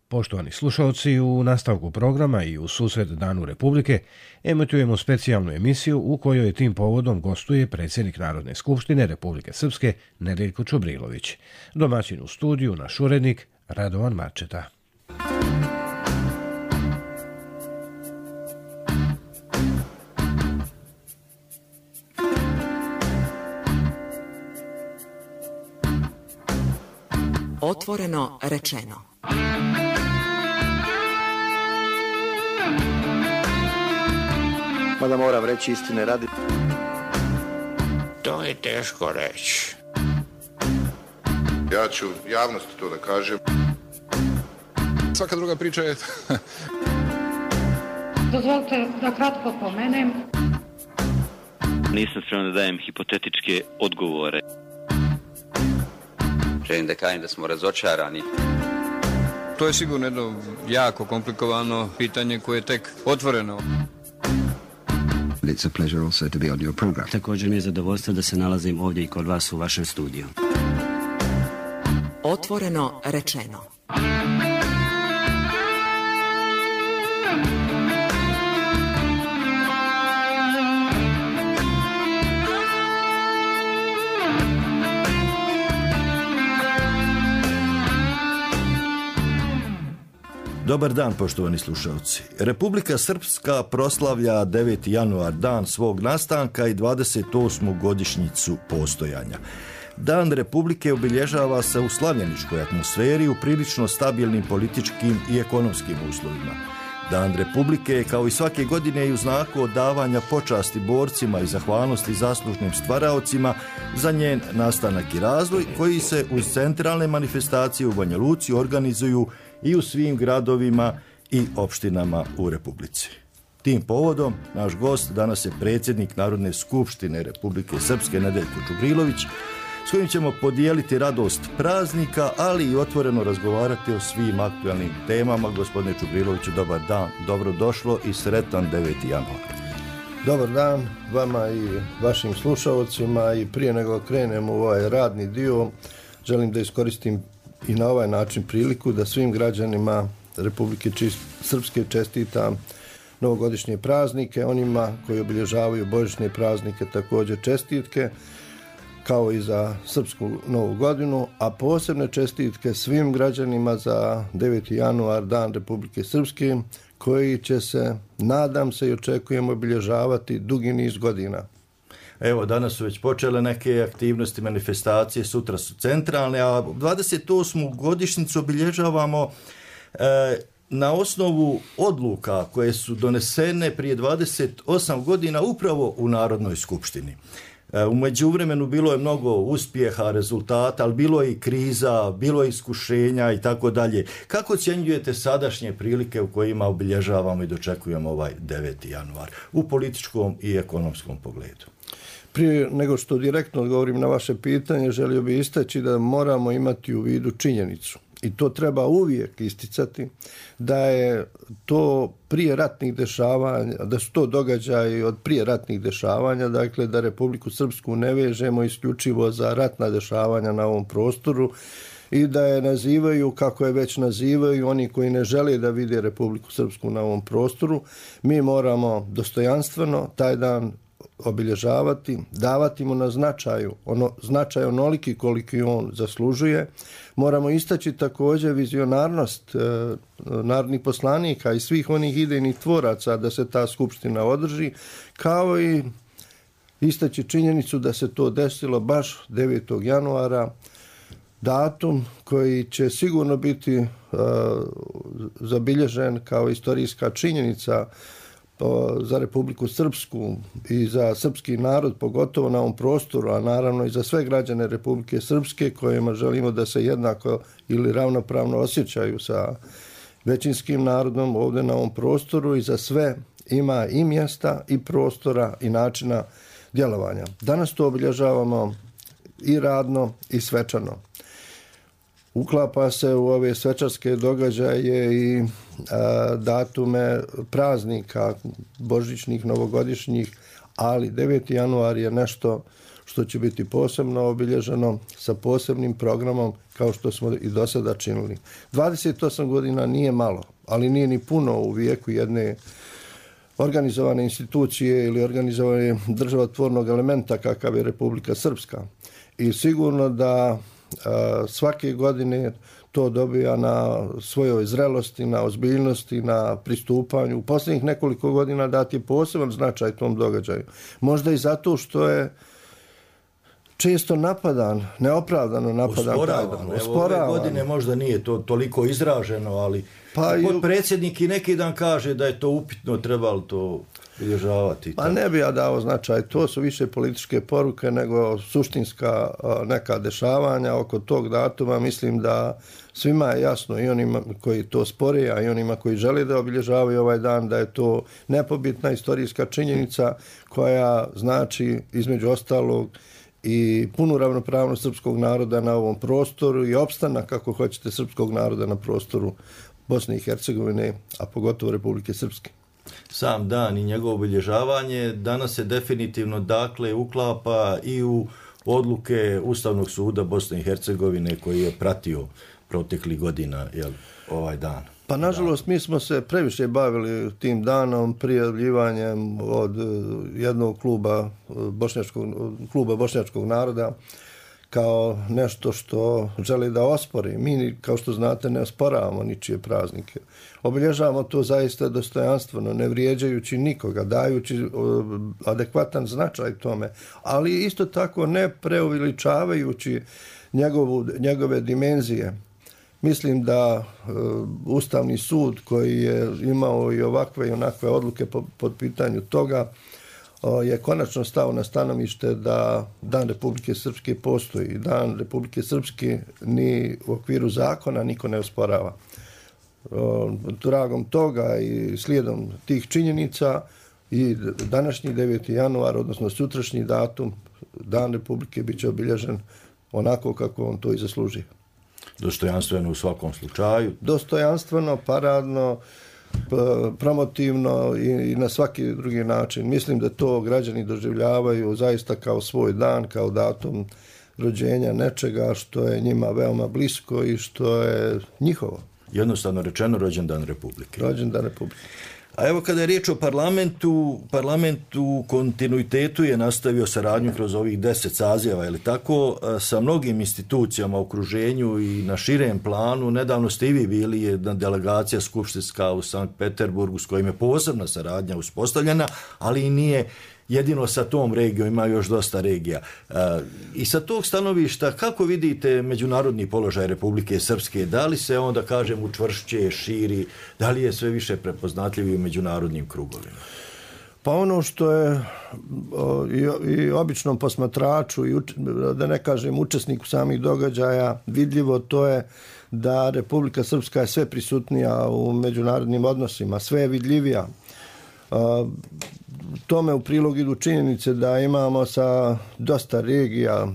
Poštovani slušalci, u nastavku programa i u susret Danu Republike emitujemo specijalnu emisiju u kojoj tim povodom gostuje predsjednik Narodne skupštine Republike Srpske Nedeljko Čubrilović. Domaćin u studiju, naš urednik Radovan Marčeta. Otvoreno rečeno. Mada moram reći istine radi. To je teško reći. Ja ću javnosti to da kažem. Svaka druga priča je... Dozvolite da kratko pomenem. Nisam spreman da dajem hipotetičke odgovore. Želim da kažem da smo razočarani. To je sigurno jedno jako komplikovano pitanje koje je tek otvoreno. It's a pleasure also to be on your program. Također mi je zadovoljstvo da se nalazim ovdje i kod vas u vašem studiju. Otvoreno rečeno. Dobar dan, poštovani slušalci. Republika Srpska proslavlja 9. januar, dan svog nastanka i 28. godišnjicu postojanja. Dan Republike obilježava se u slavljeničkoj atmosferi u prilično stabilnim političkim i ekonomskim uslovima. Dan Republike je kao i svake godine i u znaku odavanja počasti borcima i zahvalnosti zaslužnim stvaraocima za njen nastanak i razvoj, koji se uz centralne manifestacije u Banja Luci organizuju i u svim gradovima i opštinama u Republici. Tim povodom naš gost danas je predsjednik Narodne skupštine Republike Srpske Nedeljko Čubrilović, s kojim ćemo podijeliti radost praznika, ali i otvoreno razgovarati o svim aktualnim temama. Gospodine Čubriloviću, dobar dan, dobrodošlo i sretan 9. januar. Dobar dan vama i vašim slušalcima, i prije nego krenemo u ovaj radni dio, želim da iskoristim i na ovaj način priliku da svim građanima Republike Srpske čestitam novogodišnje praznike, onima koji obilježavaju božićne praznike također čestitke, kao i za Srpsku novu godinu, a posebne čestitke svim građanima za 9. januar, dan Republike Srpske, koji će se, nadam se i očekujemo, obilježavati dugi niz godina. Evo, danas su već počele neke aktivnosti, manifestacije, sutra su centralne, a 28. godišnjicu obilježavamo na osnovu odluka koje su donesene prije 28 godina upravo u Narodnoj skupštini. U međuvremenu bilo je mnogo uspjeha, rezultata, ali bilo je i kriza, bilo je iskušenja i tako dalje. Kako ocjenjujete sadašnje prilike u kojima obilježavamo i dočekujemo ovaj 9. januar u političkom i ekonomskom pogledu? Prije nego što direktno odgovorim na vaše pitanje, želio bih istaći da moramo imati u vidu činjenicu, i to treba uvijek isticati, da je to prije ratnih dešavanja, da su to događaji od prije ratnih dešavanja, dakle da Republiku Srpsku ne vežemo isključivo za ratna dešavanja na ovom prostoru i da je nazivaju kako je već nazivaju oni koji ne žele da vide Republiku Srpsku na ovom prostoru. Mi moramo dostojanstveno taj dan obilježavati, davati mu na značaj onoliki koliki on zaslužuje. Moramo istaći također vizionarnost narodnih poslanika i svih onih idejnih tvoraca da se ta skupština održi, kao i istaći činjenicu da se to desilo baš 9. januara, datum koji će sigurno biti zabilježen kao istorijska činjenica za Republiku Srpsku i za srpski narod, pogotovo na ovom prostoru, a naravno i za sve građane Republike Srpske kojima želimo da se jednako ili ravnopravno osjećaju sa većinskim narodom ovdje na ovom prostoru, i za sve ima i mjesta i prostora i načina djelovanja. Danas to obilježavamo i radno i svečano. Uklapa se u ove svečarske događaje i datume praznika, božićnih, novogodišnjih, ali 9. januar je nešto što će biti posebno obilježeno sa posebnim programom kao što smo i do sada činili. 28 godina nije malo, ali nije ni puno u vijeku jedne organizovane institucije ili organizovane državotvornog elementa kakav je Republika Srpska. I sigurno da svake godine to dobija na svojoj zrelosti, na ozbiljnosti, na pristupanju. U posljednjih nekoliko godina dati je poseban značaj tom događaju. Možda i zato što je često napadan, neopravdano napadan. Ove godine možda nije to toliko izraženo, ali potpredsjednik i neki dan kaže da je to upitno, trebalo to bilježavati. Pa ne bi ja dao značaj, to su više političke poruke nego suštinska neka dešavanja oko tog datuma. Mislim da svima je jasno, i onima koji to spore, a i onima koji žele da obilježavaju ovaj dan, da je to nepobitna istorijska činjenica koja znači između ostalog i punu ravnopravnost srpskog naroda na ovom prostoru i opstanak, kako hoćete, srpskog naroda na prostoru Bosne i Hercegovine, a pogotovo Republike Srpske. Sam dan i njegovo obilježavanje danas se definitivno dakle uklapa i u odluke Ustavnog suda Bosne i Hercegovine koji je pratio proteklih godina ovaj dan. Pa nažalost mi smo se previše bavili tim danom prijavljivanjem od jednog kluba bošnjačkog naroda kao nešto što želi da ospori. Mi, kao što znate, ne osporavamo ničije praznike. Obilježavamo to zaista dostojanstveno, ne vrijeđajući nikoga, dajući adekvatan značaj tome, ali isto tako ne preuveličavajući njegove dimenzije. Mislim da Ustavni sud koji je imao i ovakve i onakve odluke pod pitanju toga je konačno stao na stanovište da Dan Republike Srpske postoji. Dan Republike Srpske ni u okviru zakona niko ne osporava. Tragom toga i slijedom tih činjenica i današnji 9. januar, odnosno sutrašnji datum, Dan Republike bit će obilježen onako kako on to i zaslužuje. Dostojanstveno u svakom slučaju. Dostojanstveno, paradno, promotivno i na svaki drugi način. Mislim da to građani doživljavaju zaista kao svoj dan, kao datum rođenja nečega što je njima veoma blisko i što je njihovo. Jednostavno rečeno, rođendan Republike. Rođendan Republike. A evo kada je riječ o parlament u kontinuitetu je nastavio saradnju kroz ovih 10 saziva, je li tako, sa mnogim institucijama u okruženju i na širem planu. Nedavno ste i vi bili jedna delegacija skupštinska u Sankt Peterburgu s kojim je posebna saradnja uspostavljena, ali i nije jedino sa tom regijom, ima još dosta regija. I sa tog stanovišta, kako vidite međunarodni položaj Republike Srpske? Da li se on, da kažem, učvršće, širi? Da li je sve više prepoznatljiv u međunarodnim krugovima? Pa ono što je i običnom posmatraču, i da ne kažem učesniku samih događaja vidljivo, to je da Republika Srpska je sve prisutnija u međunarodnim odnosima, sve je vidljivija. Tome u prilog idu činjenice da imamo sa dosta regija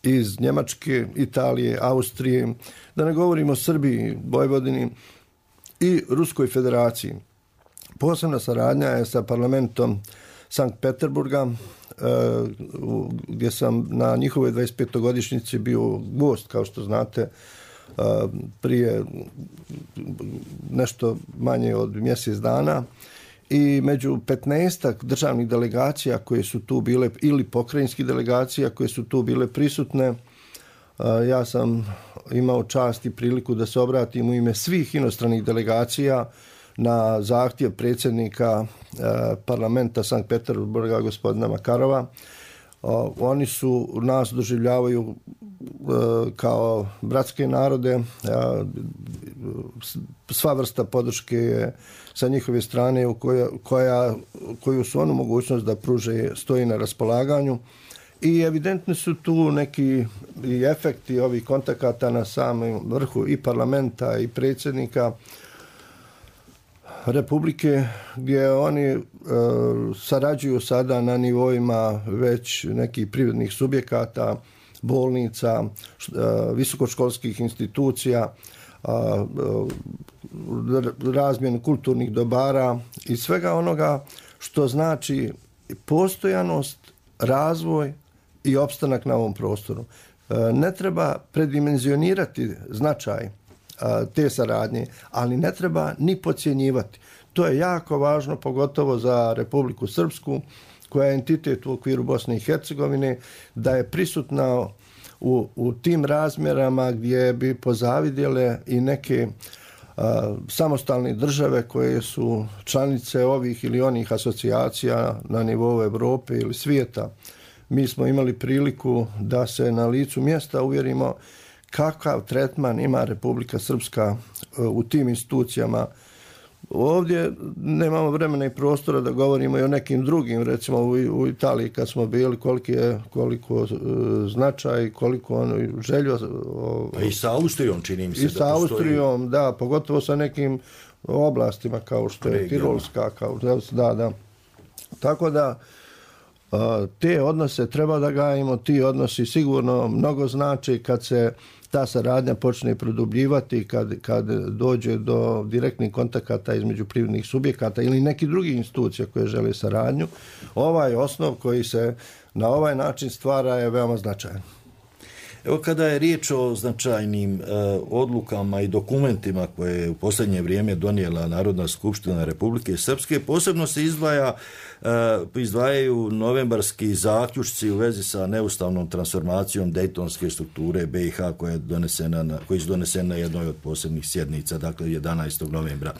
iz Njemačke, Italije, Austrije, da ne govorimo o Srbiji, Vojvodini i Ruskoj federaciji. Posebna saradnja je sa parlamentom Sankt Peterburga, gdje sam na njihovoj 25-godišnjici bio gost, kao što znate, prije nešto manje od mjesec dana. I među 15 državnih delegacija koje su tu bile, ili pokrajinskih delegacija koje su tu bile prisutne, ja sam imao čast i priliku da se obratim u ime svih inostranih delegacija na zahtjev predsjednika parlamenta Sankt Peterburga, gospodina Makarova. Oni su nas doživljavaju kao bratske narode, sva vrsta podrške je sa njihove strane koju su onu mogućnost da pruže stoji na raspolaganju i evidentni su tu neki i efekti ovih kontakata na samom vrhu i parlamenta i predsjednika Republike, gdje oni sarađuju sada na nivoima već nekih privrednih subjekata, bolnica, visokoškolskih institucija, razmjenu kulturnih dobara i svega onoga što znači postojanost, razvoj i opstanak na ovom prostoru. Ne treba predimenzionirati značaj te saradnje, ali ne treba ni podcjenjivati. To je jako važno, pogotovo za Republiku Srpsku, koja je entitet u okviru Bosne i Hercegovine, da je prisutna u tim razmjerama gdje bi pozavidjele i neke samostalne države koje su članice ovih ili onih asocijacija na nivou Europe ili svijeta. Mi smo imali priliku da se na licu mjesta uvjerimo kakav tretman ima Republika Srpska u tim institucijama. Ovdje nemamo vremena i prostora da govorimo i o nekim drugim, recimo u Italiji kad smo bili, koliko značaj, koliko željo... I sa Austrijom čini mi se da postoji. I sa Austrijom, da, pogotovo sa nekim oblastima kao što je Tirolska, da. Tako da te odnose treba da gajimo, ti odnosi sigurno mnogo znači kad se ta saradnja počne produbljivati, kad dođe do direktnih kontakata između privrednih subjekata ili nekih drugih institucija koje žele saradnju. Ovaj osnov koji se na ovaj način stvara je veoma značajan. Evo, kada je riječ o značajnim odlukama i dokumentima koje je u posljednje vrijeme donijela Narodna skupština Republike Srpske, posebno se izdvajaju novembarski zaključci u vezi sa neustavnom transformacijom dejtonske strukture BiH koja je donesena na jednoj od posebnih sjednica, dakle 11. novembra.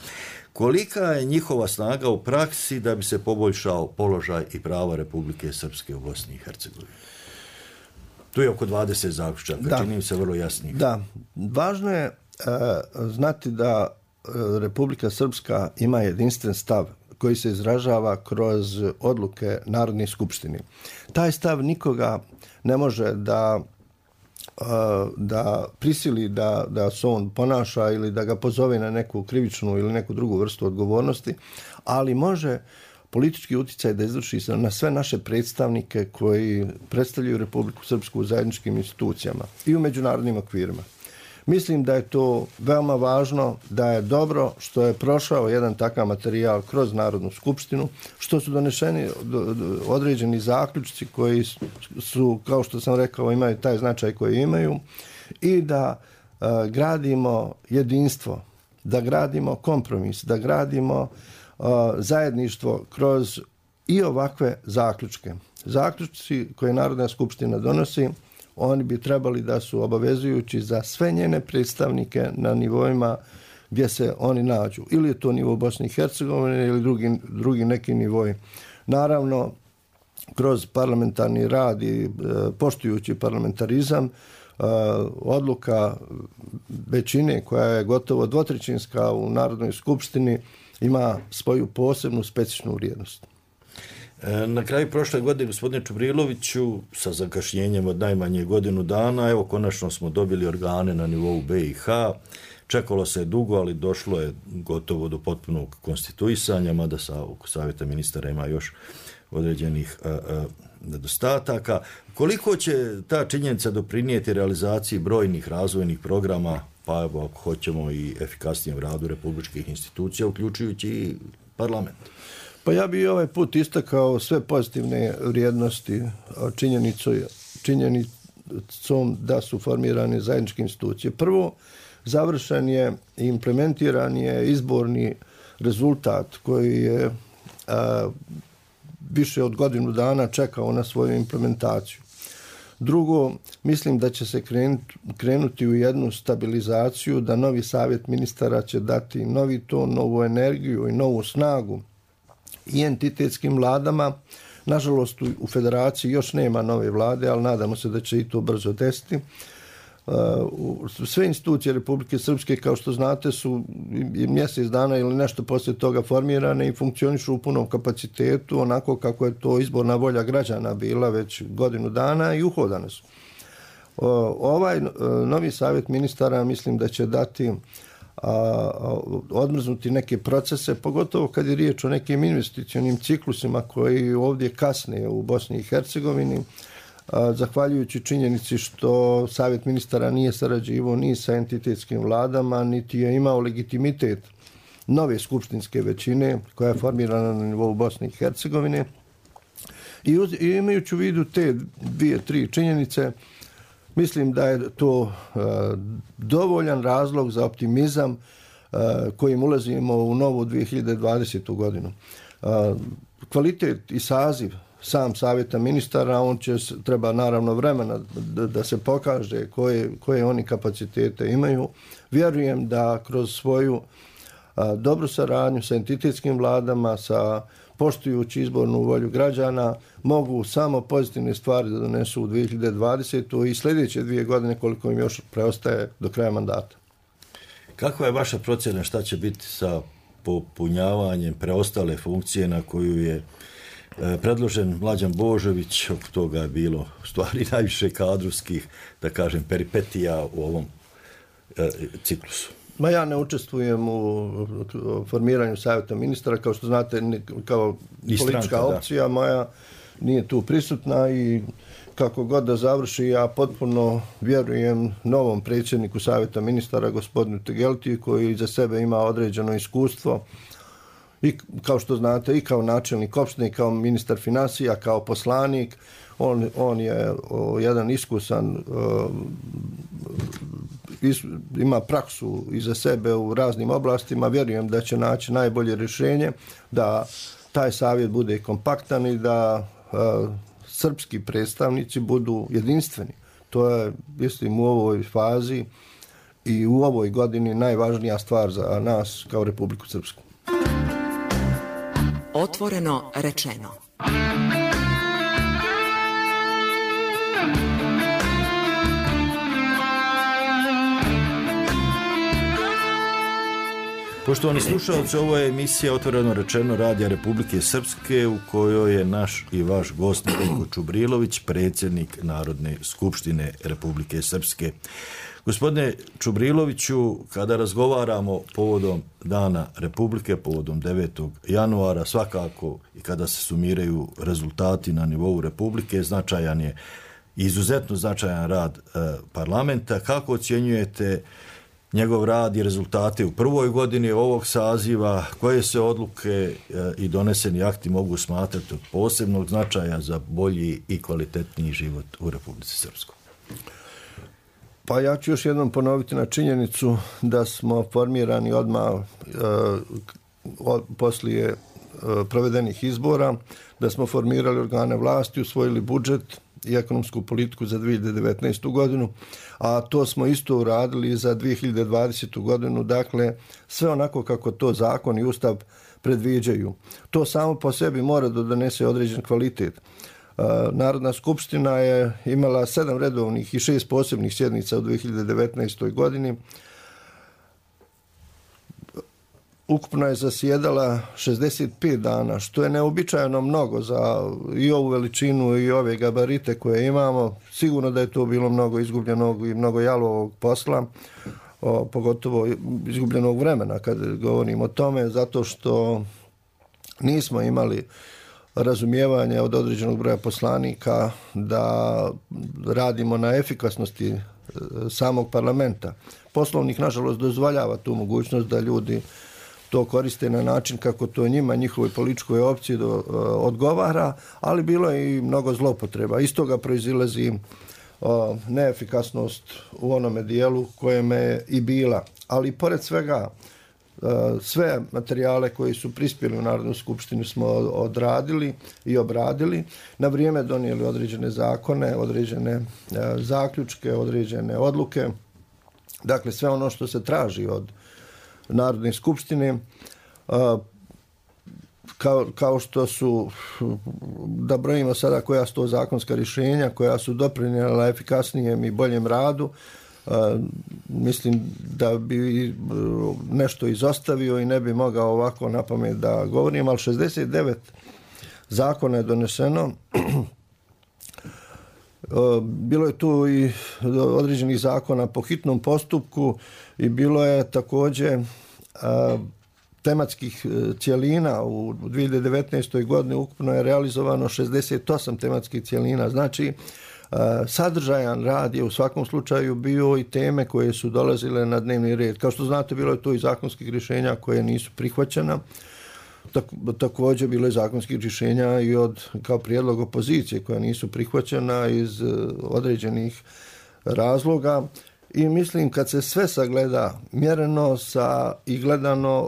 Kolika je njihova snaga u praksi da bi se poboljšao položaj i prava Republike Srpske u Bosni i Hercegovini? Tu je oko 20 zaključaka, čini mi se vrlo jasnih. Da, važno je znati da Republika Srpska ima jedinstven stav koji se izražava kroz odluke Narodne skupštine. Taj stav nikoga ne može da prisili da se on ponaša ili da ga pozove na neku krivičnu ili neku drugu vrstu odgovornosti, ali može politički utjecaj da izvrši na sve naše predstavnike koji predstavljaju Republiku Srpsku u zajedničkim institucijama i u međunarodnim okvirima. Mislim da je to veoma važno, da je dobro što je prošao jedan takav materijal kroz Narodnu skupštinu, što su donešeni određeni zaključci koji su, kao što sam rekao, imaju taj značaj koji imaju i da gradimo jedinstvo, da gradimo kompromis, da gradimo zajedništvo kroz i ovakve zaključke. Zaključci koje Narodna skupština donosi, oni bi trebali da su obavezujući za sve njene predstavnike na nivoima gdje se oni nađu. Ili je to nivo Bosne i Hercegovine ili drugi neki nivoj. Naravno, kroz parlamentarni rad i poštujući parlamentarizam, odluka većine koja je gotovo dvotrećinska u Narodnoj skupštini ima svoju posebnu specifičnu vrijednost. Na kraju prošle godine, gospodine Čubriloviću, sa zakašnjenjem od najmanje godinu dana, evo konačno smo dobili organe na nivou BiH. Čekalo se dugo, ali došlo je gotovo do potpunog konstituisanja, mada oko Savjeta ministara ima još određenih nedostataka. Koliko će ta činjenica doprinijeti realizaciji brojnih razvojnih programa, pa evo ako hoćemo i efikasnijem radu republičkih institucija, uključujući i parlament? Pa ja bih ovaj put istakao sve pozitivne vrijednosti činjenicom da su formirane zajedničke institucije. Prvo, završen je i implementiran je izborni rezultat koji je više od godinu dana čekao na svoju implementaciju. Drugo, mislim da će se krenuti u jednu stabilizaciju, da novi savjet ministara će dati novi ton, novu energiju i novu snagu i entitetskim vladama. Nažalost, u federaciji još nema nove vlade, ali nadamo se da će i to brzo desiti. Sve institucije Republike Srpske, kao što znate, su mjesec dana ili nešto poslije toga formirane i funkcionišu u punom kapacitetu, onako kako je to izborna volja građana bila već godinu dana i uhodane su. Ovaj novi savjet ministara mislim da će dati odmrznuti neke procese, pogotovo kad je riječ o nekim investicionim ciklusima koji ovdje kasne u Bosni i Hercegovini, zahvaljujući činjenici što Savjet ministara nije sarađivao ni sa entitetskim vladama, niti je imao legitimitet nove skupštinske većine koja je formirana na nivou Bosne i Hercegovine. I imajući u vidu te 2-3 činjenice, mislim da je to dovoljan razlog za optimizam kojim ulazimo u novu 2020. godinu. Kvalitet i saziv sam savjeta ministara, treba naravno vremena da se pokaže koje oni kapacitete imaju. Vjerujem da kroz svoju dobru saradnju sa entitetskim vladama, poštujući izbornu volju građana, mogu samo pozitivne stvari da donesu u 2020. i sljedeće 2 godine koliko im još preostaje do kraja mandata. Kakva je vaša procjena šta će biti sa popunjavanjem preostale funkcije na koju je predložen Mlađan Božović? Oko toga je bilo stvari najviše kadrovskih, da kažem, peripetija u ovom ciklusu. Ja ne učestvujem u formiranju savjeta ministara, kao što znate, kao politička opcija moja nije tu prisutna i kako god da završi, ja potpuno vjerujem novom predsjedniku savjeta ministara, gospodinu Tegeltiju, koji iza sebe ima određeno iskustvo i kao što znate i kao načelnik opštine, i kao ministar financija, kao poslanik. On je jedan iskusan, ima praksu iza sebe u raznim oblastima. Vjerujem da će naći najbolje rješenje, da taj savjet bude kompaktan i da srpski predstavnici budu jedinstveni. To je, mislim, u ovoj fazi i u ovoj godini najvažnija stvar za nas kao Republiku Srpsku. Otvoreno rečeno. Poštovani slušalci, ovo je emisija Otvoreno rečeno Radija Republike Srpske u kojoj je naš i vaš gost Nedeljko Čubrilović, predsjednik Narodne skupštine Republike Srpske. Gospodine Čubriloviću, kada razgovaramo povodom Dana Republike, povodom 9. januara, svakako i kada se sumiraju rezultati na nivou Republike, značajan je, izuzetno značajan rad parlamenta. Kako ocjenjujete njegov rad i rezultate u prvoj godini ovog saziva? Koje se odluke i doneseni akti mogu smatrati od posebnog značaja za bolji i kvalitetniji život u Republici Srpskoj? Pa ja ću još jednom ponoviti na činjenicu da smo formirani odmah poslije provedenih izbora, da smo formirali organe vlasti, usvojili budžet i ekonomsku politiku za 2019. godinu, a to smo isto uradili za 2020. godinu, dakle sve onako kako to zakon i ustav predviđaju. To samo po sebi mora da donese određen kvalitet. Narodna skupština je imala 7 redovnih i 6 posebnih sjednica u 2019. godini. Ukupno je zasjedala 65 dana, što je neobičajno mnogo za i ovu veličinu i ove gabarite koje imamo. Sigurno da je to bilo mnogo izgubljenog i mnogo jalovog posla, pogotovo izgubljenog vremena kad govorimo o tome, zato što nismo imali razumijevanje od određenog broja poslanika da radimo na efikasnosti samog parlamenta. Poslovnik, nažalost, dozvoljava tu mogućnost da ljudi to koriste na način kako to njima, njihovoj političkoj opciji odgovara, ali bilo je i mnogo zloupotreba. Iz toga proizilazi neefikasnost u onome dijelu kojem je i bila. Ali pored svega, sve materijale koji su prispjeli u Narodnu skupštinu smo odradili i obradili, na vrijeme donijeli određene zakone, određene zaključke, određene odluke. Dakle, sve ono što se traži od Narodne skupštine, kao što su, da brojimo sada koja su to zakonska rješenja, koja su doprinijela efikasnijem i boljem radu, mislim da bi nešto izostavio i ne bi mogao ovako na pamet da govorim, ali 69 zakona je doneseno. Bilo je tu i određenih zakona po hitnom postupku i bilo je također tematskih cjelina. U 2019. godini ukupno je realizovano 68 tematskih cjelina. Znači, sadržajan rad je u svakom slučaju bio i teme koje su dolazile na dnevni red. Kao što znate, bilo je tu i zakonskih rješenja koje nisu prihvaćena. Također bilo je zakonskih rješenja i kao prijedlog opozicije koja nisu prihvaćena iz određenih razloga. I mislim kad se sve sagleda mjereno i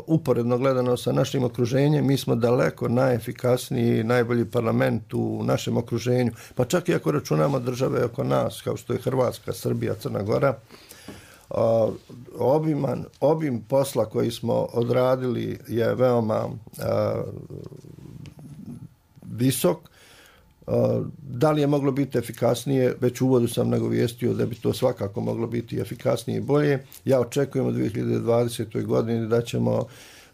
uporedno gledano sa našim okruženjem, mi smo daleko najefikasniji, najbolji parlament u našem okruženju. Pa čak i ako računamo države oko nas, kao što je Hrvatska, Srbija, Crna Gora, obim posla koji smo odradili je veoma visok. Da li je moglo biti efikasnije? Već u uvodu sam nagovijestio da bi to svakako moglo biti efikasnije i bolje. Ja očekujem u 2020. godini da ćemo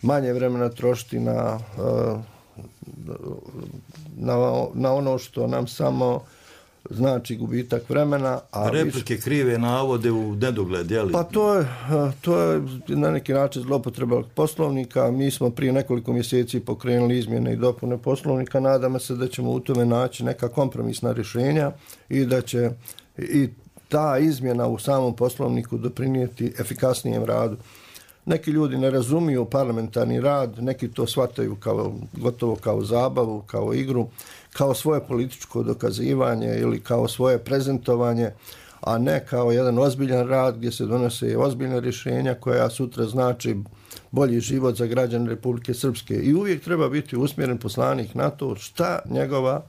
manje vremena trošiti na ono što nam samo znači gubitak vremena. A replike krive navode u nedogled, je li? Pa to je na neki način zloupotreba Poslovnika. Mi smo prije nekoliko mjeseci pokrenuli izmjene i dopune Poslovnika. Nadamo se da ćemo u tome naći neka kompromisna rješenja i da će i ta izmjena u samom Poslovniku doprinijeti efikasnijem radu. Neki ljudi ne razumiju parlamentarni rad, neki to shvataju gotovo kao zabavu, kao igru, kao svoje političko dokazivanje ili kao svoje prezentovanje, a ne kao jedan ozbiljan rad gdje se donose ozbiljna rješenja koja sutra znači bolji život za građane Republike Srpske. I uvijek treba biti usmjeren poslanik na to šta njegova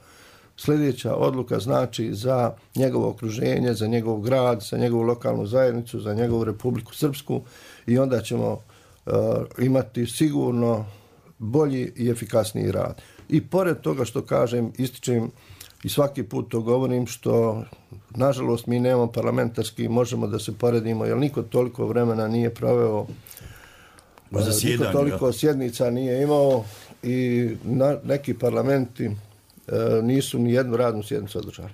sljedeća odluka znači za njegovo okruženje, za njegov grad, za njegovu lokalnu zajednicu, za njegovu Republiku Srpsku i onda ćemo imati sigurno bolji i efikasniji rad. I pored toga što kažem, ističem i svaki put to govorim, što nažalost mi nemamo parlamentarski, možemo da se poredimo, jer niko toliko vremena nije proveo, niko toliko sjednica nije imao i neki parlamenti nisu ni jednu radnu sjednicu održali.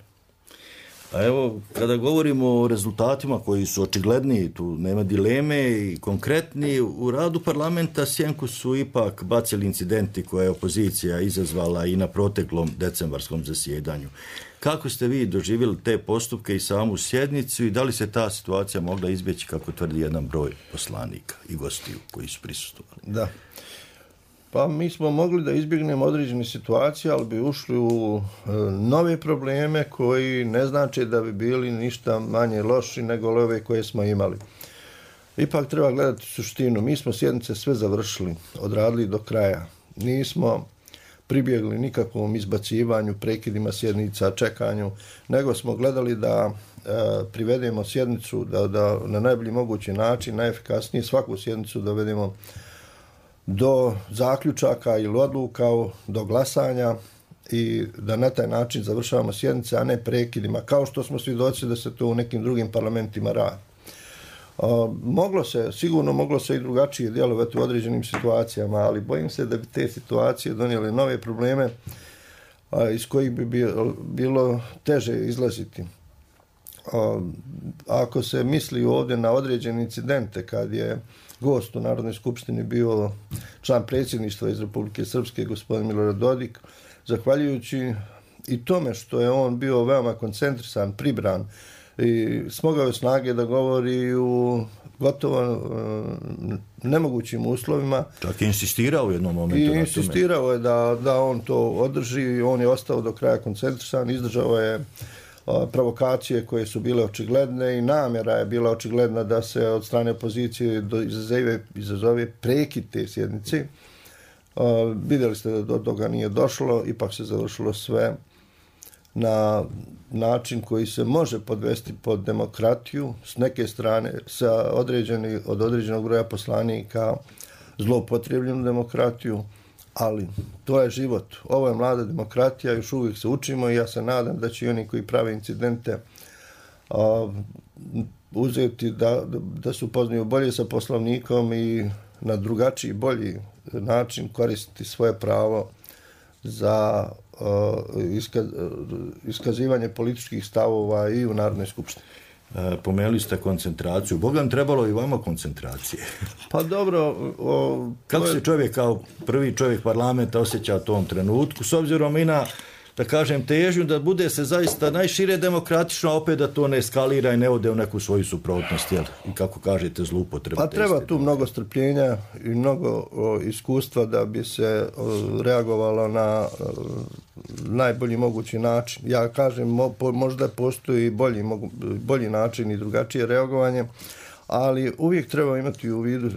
A evo, kada govorimo o rezultatima koji su očigledni, tu nema dileme i konkretni, u radu parlamenta sjenku su ipak bacili incidenti koje je opozicija izazvala i na proteklom decembarskom zasjedanju. Kako ste vi doživjeli te postupke i samu sjednicu i da li se ta situacija mogla izbjeći, kako tvrdi jedan broj poslanika i gostiju koji su prisustvovali? Da. Pa mi smo mogli da izbjegnemo određene situacije, ali bi ušli u nove probleme koji ne znači da bi bili ništa manje loši nego ove koje smo imali. Ipak treba gledati suštinu. Mi smo sjednice sve završili, odradili do kraja. Nismo pribjegli nikakvom izbacivanju, prekidima sjednica, čekanju, nego smo gledali da privedemo sjednicu, da na najbolji mogući način, najefikasnije svaku sjednicu dovedemo do zaključaka ili odluka, do glasanja i da na taj način završavamo sjednice, a ne prekidima, kao što smo svjedoci da se to u nekim drugim parlamentima radi. Sigurno moglo se i drugačije djelovati u određenim situacijama, ali bojim se da bi te situacije donijele nove probleme iz kojih bi bilo teže izlaziti. Ako se misli ovdje na određene incidente, kad je gost u Narodnoj skupštini bio član predsjedništva iz Republike Srpske, gospodin Milorad Dodik, zahvaljujući i tome što je on bio veoma koncentrisan, pribran i smogao je snage da govori u gotovo nemogućim uslovima. Čak je insistirao u jednom momentu. I insistirao je da on to održi, on je ostao do kraja koncentrisan, izdržao je provokacije koje su bile očigledne i namjera je bila očigledna da se od strane opozicije izazove prekid te sjednice. Vidjeli ste da do toga nije došlo, ipak se završilo sve na način koji se može podvesti pod demokratiju, s neke strane od određenog broja poslanika zloupotrijebljenu demokratiju, ali to je život. Ovo je mlada demokratija, još uvijek se učimo i ja se nadam da će i oni koji prave incidente uzeti da se upoznaju bolje sa Poslovnikom i na drugačiji, bolji način koristiti svoje pravo za iskazivanje političkih stavova i u Narodnoj skupštini. Pomenuli ste koncentraciju. Bogam, trebalo i vama koncentracije. Pa dobro. Kako se čovjek kao prvi čovjek parlamenta osjeća u tom trenutku, s obzirom i na da kažem, težnju da bude se zaista najšire demokratično, a opet da to ne eskalira i ne ode u neku svoju suprotnost, jel? I kako kažete, zloupotrebu. Pa treba tu mnogo strpljenja i mnogo iskustva da bi se reagovalo na najbolji mogući način. Ja kažem, možda postoji bolji način i drugačije reagovanje, ali uvijek treba imati u vidu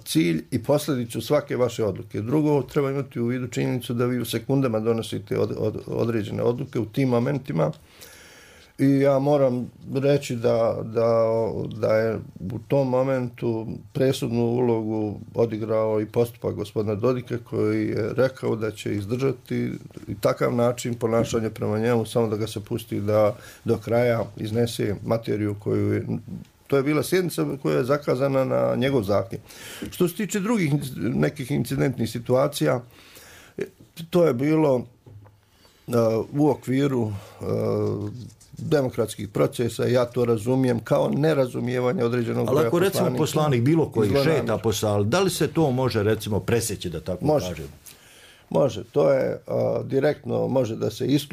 cilj i posljedicu svake vaše odluke. Drugo, treba imati u vidu činjenicu da vi u sekundama donosite određene odluke u tim momentima. I ja moram reći da je u tom momentu presudnu ulogu odigrao i postupak gospodina Dodika, koji je rekao da će izdržati i takav način ponašanja prema njemu, samo da ga se pusti da do kraja iznese materiju koju je... To je bila sjednica koja je zakazana na njegov zahtjev. Što se tiče drugih nekih incidentnih situacija, to je bilo u okviru demokratskih procesa, ja to razumijem kao nerazumijevanje određenog broja poslanika. Ali ako recimo poslanik bilo koji šeta po sali, da li se to može recimo presjeći, da tako kažem? Može, to je direktno,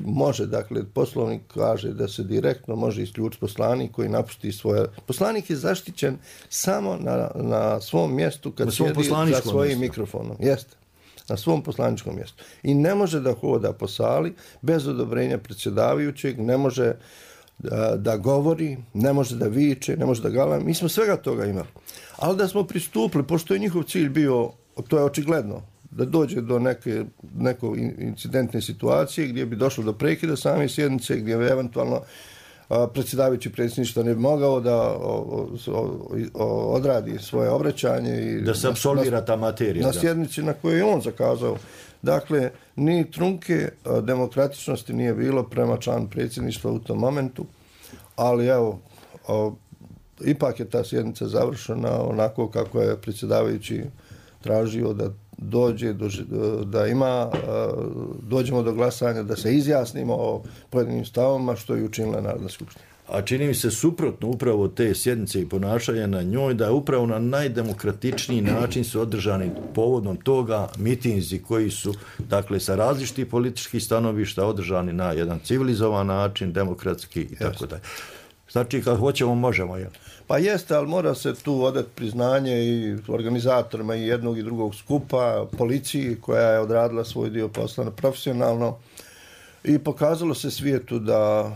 može, dakle, poslovnik kaže da se direktno može isključiti poslanik koji napusti svoje... Poslanik je zaštićen samo na svom mjestu kad sjedi za svojim mikrofonom. Jeste, na svom poslaničkom mjestu. I ne može da hoda po sali bez odobrenja predsjedavajućeg, ne može da govori, ne može da viče, ne može da galami. Mi smo svega toga imali. Ali da smo pristupili, pošto je njihov cilj bio, to je očigledno, da dođe do neke incidentne situacije gdje bi došlo do prekida same sjednice, gdje bi eventualno predsjedavajući predsjedništva ne bi mogao da odradi svoje obraćanje i da se apsolvira ta materija na sjednici na kojoj je on zakazao. Dakle, ni trunke demokratičnosti nije bilo prema članu predsjedništva u tom momentu, ali evo, ipak je ta sjednica završena onako kako je predsjedavajući tražio da dođe, dođemo do glasanja, da se izjasnimo o pojedinim stavovima, što je učinila Narodna skupština. A čini mi se suprotno upravo te sjednice i ponašanja na njoj, da je upravo na najdemokratičniji način su održani povodom toga mitinzi koji su, dakle, sa različitih političkih stanovišta održani na jedan civilizovan način, demokratski i tako dalje. Znači, kad hoćemo, možemo, jel? Pa jeste, ali mora se tu odati priznanje i organizatorima i jednog i drugog skupa, policiji koja je odradila svoj dio posla profesionalno i pokazalo se svijetu da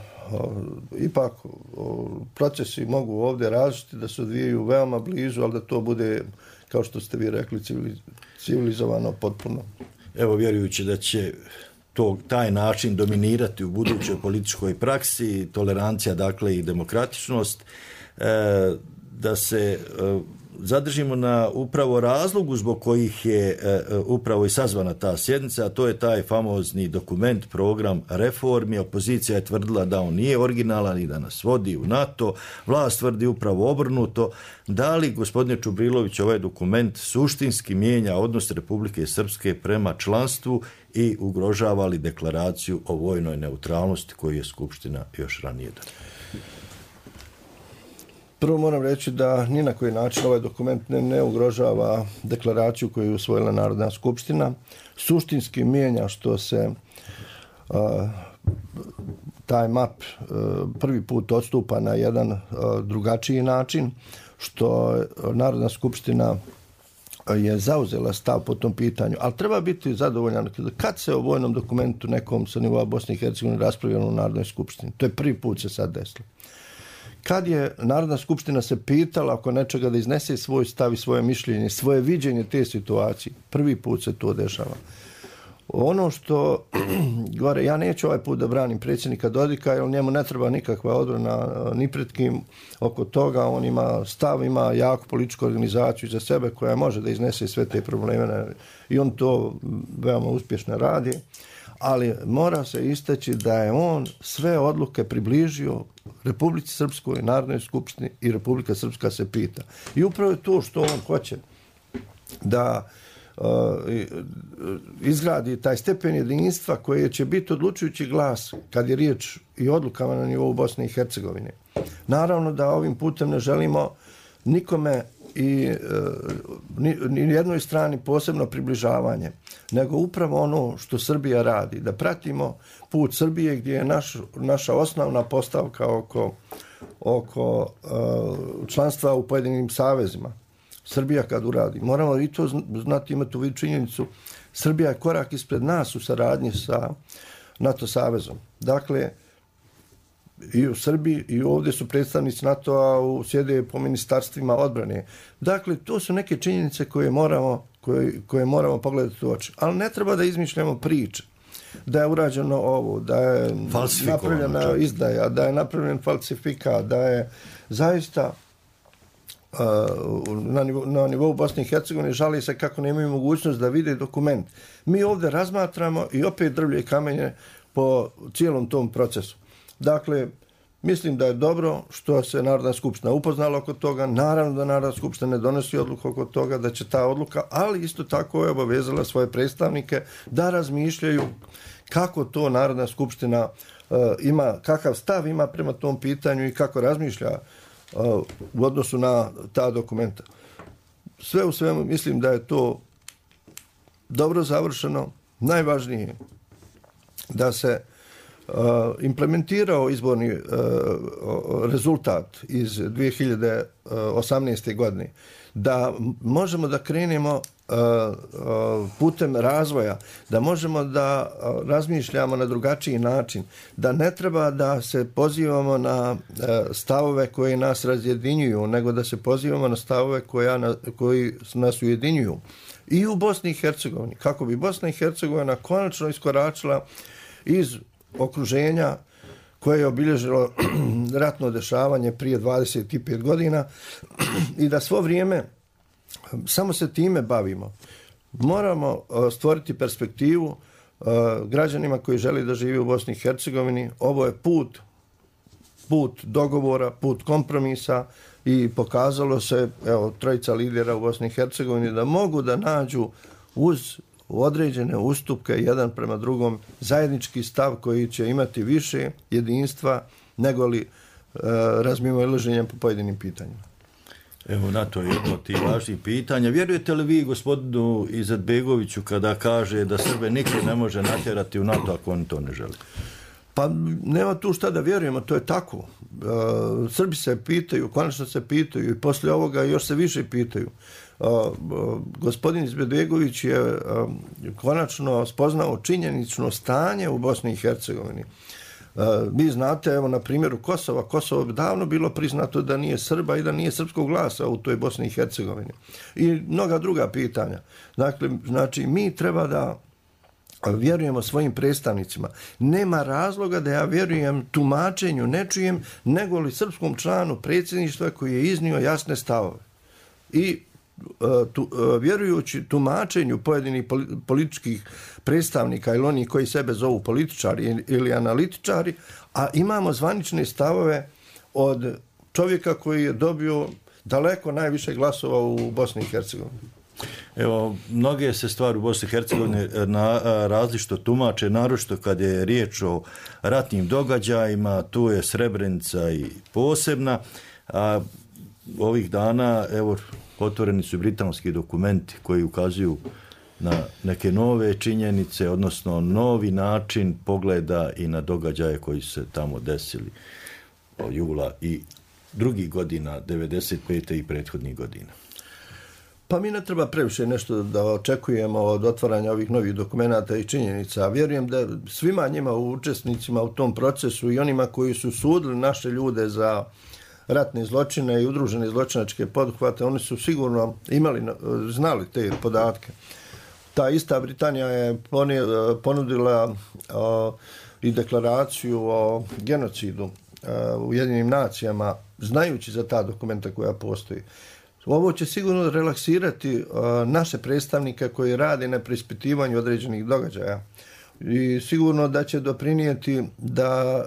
ipak procesi mogu ovdje različiti, da se odvijaju veoma blizu, ali da to bude, kao što ste vi rekli, civilizovano potpuno. Evo, vjerujući da će taj način dominirati u budućoj političkoj praksi, tolerancija, dakle, i demokratičnost, da se zadržimo na upravo razlogu zbog kojih je upravo i sazvana ta sjednica, a to je taj famozni dokument, program reformi. Opozicija je tvrdila da on nije originalan i da nas vodi u NATO, vlast tvrdi upravo obrnuto. Da li, gospodine Čubrilović, ovaj dokument suštinski mijenja odnos Republike Srpske prema članstvu i ugrožava li deklaraciju o vojnoj neutralnosti koju je Skupština još ranije dala? Prvo moram reći da ni na koji način ovaj dokument ne ugrožava deklaraciju koju je usvojila Narodna skupština. Suštinski mijenja što se taj map prvi put odstupa na jedan drugačiji način, što Narodna skupština je zauzela stav po tom pitanju, ali treba biti zadovoljan kad se o vojnom dokumentu nekom sa nivoa Bosne i Hercegovine raspravljalo u Narodnoj skupštini. To je prvi put se sad desilo. Kad je Narodna skupština se pitala oko nečega da iznese svoj stav i svoje mišljenje, svoje viđenje te situacije, prvi put se to dešava. Ono što, gore, ja neću ovaj put da branim predsjednika Dodika, jer njemu ne treba nikakva odbrana ni pred kim oko toga. On ima stav, ima jaku političku organizaciju za sebe koja može da iznese sve te probleme i on to veoma uspješno radi. Ali mora se istaći da je on sve odluke približio Republici Srpskoj, Narodnoj skupštini i Republika Srpska se pita. I upravo je to što on hoće da izgradi taj stepen jedinstva koji će biti odlučujući glas kad je riječ i odlukama na nivou Bosne i Hercegovine. Naravno da ovim putem ne želimo nikome i ni jednoj strani posebno približavanje, nego upravo ono što Srbija radi, da pratimo put Srbije gdje je naša osnovna postavka oko članstva u pojedinim savezima. Srbija kad uradi, moramo i to znati, imati u vidu činjenicu, Srbija je korak ispred nas u saradnji sa NATO savezom. Dakle, i u Srbiji i ovdje su predstavnici NATO-a, sjede po ministarstvima odbrane. Dakle, to su neke činjenice koje moramo pogledati u oči. Ali ne treba da izmišljamo priče. Da je urađeno ovo, da je napravljena izdaja, da je napravljen falsifikat, da je zaista na nivou Bosne i Hercegovine žali se kako nemaju mogućnost da vide dokument. Mi ovdje razmatramo i opet drvlje i kamenje po cijelom tom procesu. Dakle, mislim da je dobro što se Narodna skupština upoznala oko toga. Naravno da Narodna skupština ne donosi odluku oko toga, da će ta odluka, ali isto tako je obavezala svoje predstavnike da razmišljaju kako to Narodna skupština ima, kakav stav ima prema tom pitanju i kako razmišlja u odnosu na ta dokumenta. Sve u svemu mislim da je to dobro završeno. Najvažnije da se implementirao izborni rezultat iz 2018. godine, da možemo da krenemo putem razvoja, da možemo da razmišljamo na drugačiji način, da ne treba da se pozivamo na stavove koji nas razjedinjuju, nego da se pozivamo na stavove koji nas ujedinjuju. I u Bosni i Hercegovini, kako bi Bosna i Hercegovina konačno iskoračila iz okruženja koje je obilježilo ratno dešavanje prije 25 godina i da svo vrijeme samo se time bavimo. Moramo stvoriti perspektivu građanima koji žele da žive u Bosni i Hercegovini. Ovo je put dogovora, put kompromisa i pokazalo se, evo, trojica lidera u Bosni i Hercegovini da mogu da nađu uz određene ustupke jedan prema drugom zajednički stav koji će imati više jedinstva nego li razmimoilaženja po pojedinim pitanjima. Evo, na to je jedno od tih važnih pitanja. Vjerujete li vi gospodinu Izetbegoviću kada kaže da Srbe nikad ne može natjerati u NATO ako oni to ne žele? Pa nema tu šta da vjerujemo, to je tako. Srbi se pitaju, konačno se pitaju i poslije ovoga još se više pitaju. Gospodin Izetbegović je konačno spoznao činjenično stanje u Bosni i Hercegovini. Vi znate, evo na primjeru Kosova, Kosovo bi davno bilo priznato da nije Srba i da nije srpskog glasa u toj Bosni i Hercegovini. I mnoga druga pitanja. Dakle, znači, mi treba da vjerujemo svojim predstavnicima. Nema razloga da ja vjerujem tumačenju nečijem, nego li srpskom članu predsjedništva koji je iznio jasne stavove. I vjerujući tumačenju pojedinih političkih predstavnika ili oni koji sebe zovu političari ili analitičari, a imamo zvanične stavove od čovjeka koji je dobio daleko najviše glasova u Bosni i Hercegovini. Evo, mnoge se stvari u Bosni i Hercegovini različito tumače, naročito kad je riječ o ratnim događajima, tu je Srebrenica i posebna, a ovih dana, evo, otvoreni su britanski dokumenti koji ukazuju na neke nove činjenice, odnosno novi način pogleda i na događaje koji su se tamo desili od jula i drugih godina, 95. i prethodnih godina. Pa mi ne treba previše nešto da očekujemo od otvaranja ovih novih dokumenata i činjenica. Vjerujem da svima njima učesnicima u tom procesu i onima koji su sudili naše ljude za ratne zločine i udružene zločinačke poduhvate, oni su sigurno znali te podatke. Ta ista Britanija je ponudila i deklaraciju o genocidu u Ujedinjenim nacijama, znajući za ta dokumenta koja postoji. Ovo će sigurno relaksirati naše predstavnike koji rade na preispitivanju određenih događaja i sigurno da će doprinijeti da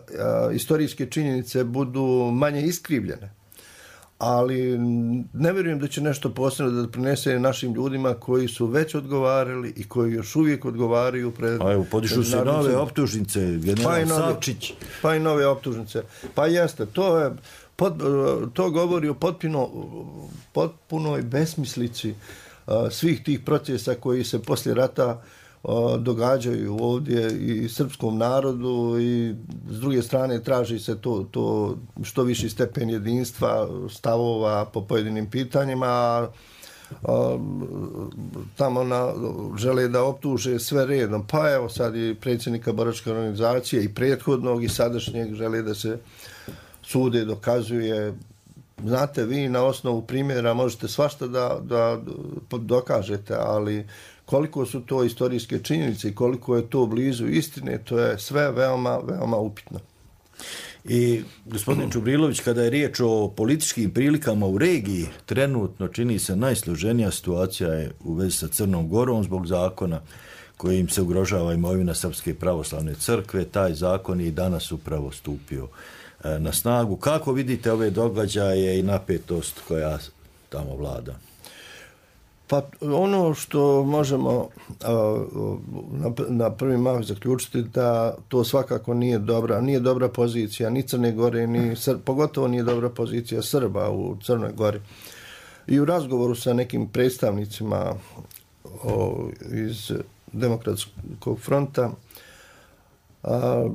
istorijske činjenice budu manje iskrivljene. Ali ne vjerujem da će nešto posebno da prinese našim ljudima koji su već odgovarali i koji još uvijek odgovaraju pred... A evo, podižu se nove optužnice, general Savčić. Pa i nove optužnice. Pa jeste, to je To govori o potpunoj besmislici svih tih procesa koji se poslije rata događaju ovdje i srpskom narodu, i s druge strane traži se to što viši stepen jedinstva, stavova po pojedinim pitanjima, tamo žele da optuže sve redom. Pa evo sad i predsjednika boračke organizacije i prethodnog i sadašnjeg žele da se sude, dokazuje. Znate, vi na osnovu primjera možete svašta da dokažete, ali koliko su to istorijske činjenice i koliko je to blizu istine, to je sve veoma, veoma upitno. I gospodin Čubrilović, kada je riječ o političkim prilikama u regiji, trenutno čini se najsloženija situacija je u vezi sa Crnom Gorom zbog zakona kojim se ugrožava imovina Srpske pravoslavne crkve. Taj zakon je i danas upravo stupio na snagu. Kako vidite ove događaje i napetost koja tamo vlada? Pa ono što možemo na prvi mah zaključiti da to svakako nije dobra pozicija ni Crne Gore, pogotovo nije dobra pozicija Srba u Crnoj Gori. I u razgovoru sa nekim predstavnicima iz Demokratskog fronta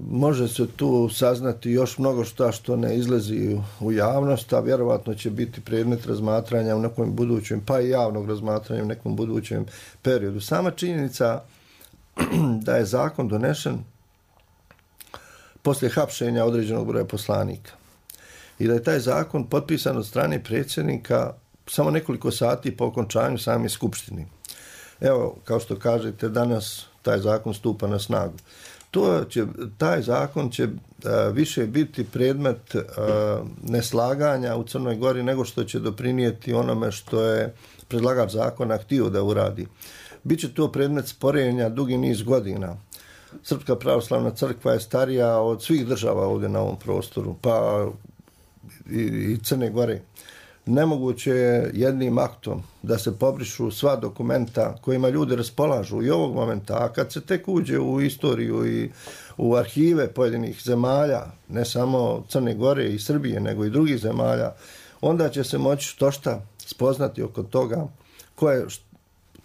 može se tu saznati još mnogo što ne izlazi u javnost, a vjerovatno će biti predmet razmatranja u nekom budućem, pa i javnog razmatranja u nekom budućem periodu. Sama činjenica da je zakon donesen poslije hapšenja određenog broja poslanika i da je taj zakon potpisan od strane predsjednika samo nekoliko sati po okončanju same skupštine. Evo, kao što kažete, danas taj zakon stupa na snagu. Taj zakon će više biti predmet neslaganja u Crnoj Gori nego što će doprinijeti onome što je predlagač zakona htio da uradi. Biće to predmet sporenja dugi niz godina. Srpska pravoslavna crkva je starija od svih država ovdje na ovom prostoru, pa i Crne Gore. Nemoguće je jednim aktom da se pobrišu sva dokumenta kojima ljudi raspolažu i ovog momenta, a kad se tek uđe u istoriju i u arhive pojedinih zemalja, ne samo Crne Gore i Srbije, nego i drugih zemalja, onda će se moći štošta spoznati oko toga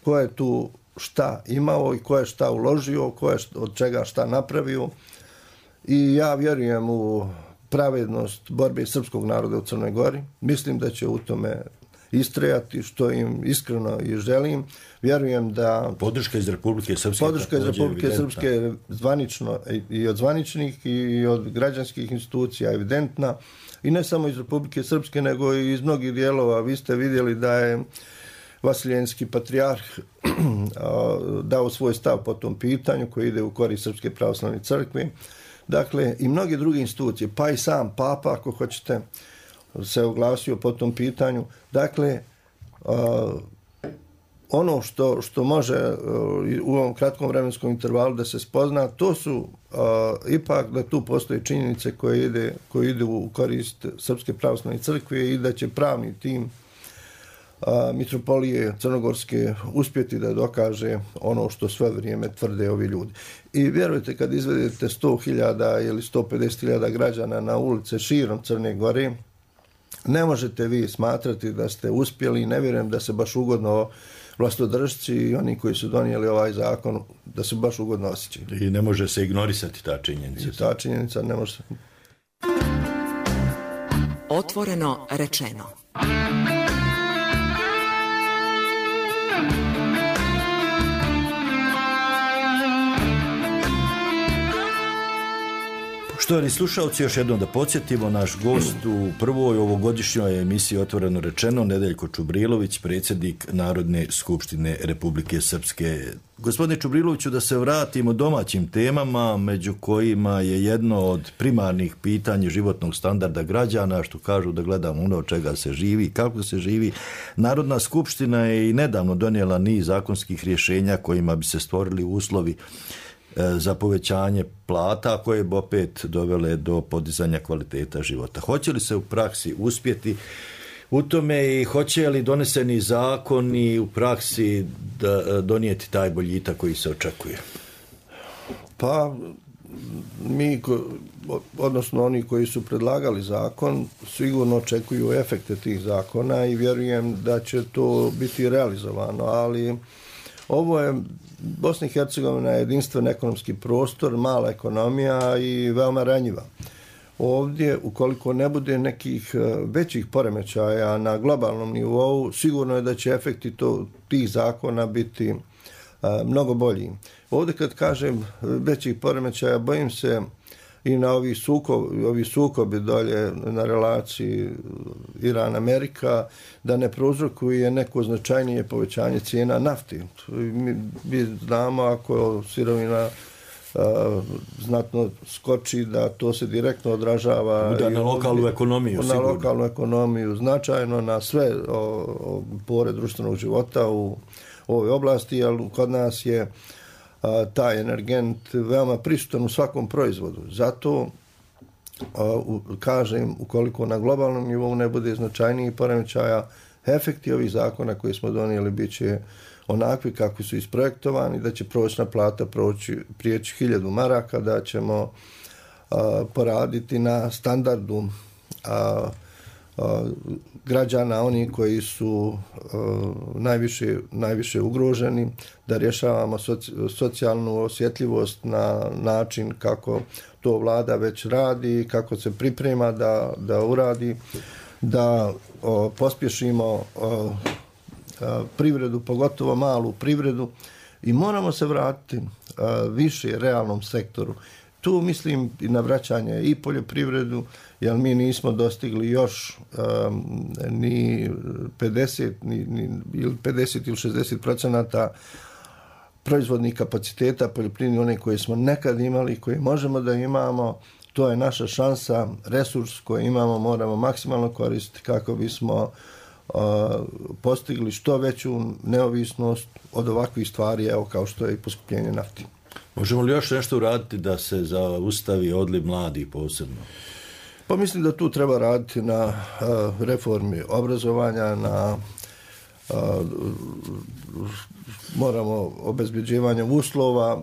ko je tu šta imao i ko je šta uložio, ko je od čega šta napravio. I ja vjerujem u pravednost borbe srpskog naroda u Crnoj Gori. Mislim da će u tome istrajati, što im iskreno i želim. Vjerujem da podrška iz Republike Srpske, zvanično i od zvaničnih i od građanskih institucija evidentna, i ne samo iz Republike Srpske, nego i iz mnogih dijelova. Vi ste vidjeli da je Vasiljenski patrijarh dao svoj stav po tom pitanju koji ide u korist Srpske pravoslavne crkve. Dakle, i mnoge druge institucije, pa i sam Papa, ako hoćete, se oglasio po tom pitanju. Dakle, ono što može u ovom kratkom vremenskom intervalu da se spozna, to su ipak da tu postoje činjenice koje idu u korist Srpske pravoslavne crkve i da će pravni tim mitropolije crnogorske uspjeti da dokaže ono što sve vrijeme tvrde ovi ljudi. I vjerujte, kad izvedete 100.000 ili 150.000 građana na ulice širom Crne Gore, ne možete vi smatrati da ste uspjeli. Ne vjerujem da se baš ugodno vlastodržci i oni koji su donijeli ovaj zakon, da se baš ugodno osjećaju. I ne može se ignorisati ta činjenica. I ta činjenica ne može se. Otvoreno rečeno. Poštovani slušalci, još jednom da podsjetimo, naš gost u prvoj ovogodišnjoj emisiji Otvoreno rečeno, Nedeljko Čubrilović, predsjednik Narodne skupštine Republike Srpske. Gospodine Čubriloviću, da se vratimo domaćim temama, među kojima je jedno od primarnih pitanja životnog standarda građana, što kažu da gledamo ono od čega se živi, kako se živi. Narodna skupština je i nedavno donijela niz zakonskih rješenja kojima bi se stvorili uslovi za povećanje plata koje bi opet dovele do podizanja kvaliteta života. Hoće li se u praksi uspjeti u tome i hoće li doneseni zakoni u praksi donijeti taj boljitak koji se očekuje? Pa mi, odnosno oni koji su predlagali zakon, sigurno očekuju efekte tih zakona i vjerujem da će to biti realizovano, ali ovo je Bosna i Hercegovina je jedinstven ekonomski prostor, mala ekonomija i veoma ranjiva. Ovdje, ukoliko ne bude nekih većih poremećaja na globalnom nivou, sigurno je da će efekti tih zakona biti mnogo bolji. Ovdje kad kažem većih poremećaja, bojim se i na ovi sukobi dolje na relaciji Iran-Amerika, da ne prouzrokuje neko značajnije povećanje cijena nafti. Mi znamo ako sirovina znatno skoči, da to se direktno odražava na lokalnu ekonomiju, na lokalnu ekonomiju, značajno na sve pore društvenog života u ovoj oblasti, ali kod nas je taj energent veoma prisutan u svakom proizvodu. Zato kažem, ukoliko na globalnom nivou ne bude značajnijih poremećaja, efekti ovih zakona koji smo donijeli bit će onakvi kakvi su isprojektovani, da će prosječna plata prijeći 1000 maraka, da ćemo poraditi na standardu građana, oni koji su najviše ugroženi, da rješavamo socijalnu osjetljivost na način kako to vlada već radi, kako se priprema da uradi, da pospješimo privredu, pogotovo malu privredu, i moramo se vratiti više realnom sektoru. Tu mislim i na vraćanje i poljoprivredu, jer mi nismo dostigli još ni 50 ili 60% proizvodnih kapaciteta poljoprivrednih, one koje smo nekad imali i koje možemo da imamo. To je naša šansa, resurs koji imamo moramo maksimalno koristiti kako bismo postigli što veću neovisnost od ovakvih stvari, evo kao što je i poskupljenje nafti. Možemo li još nešto uraditi da se zaustavi odliv mladih posebno? Pa mislim da tu treba raditi na reformi obrazovanja, na moramo obezbeđivanje uslova.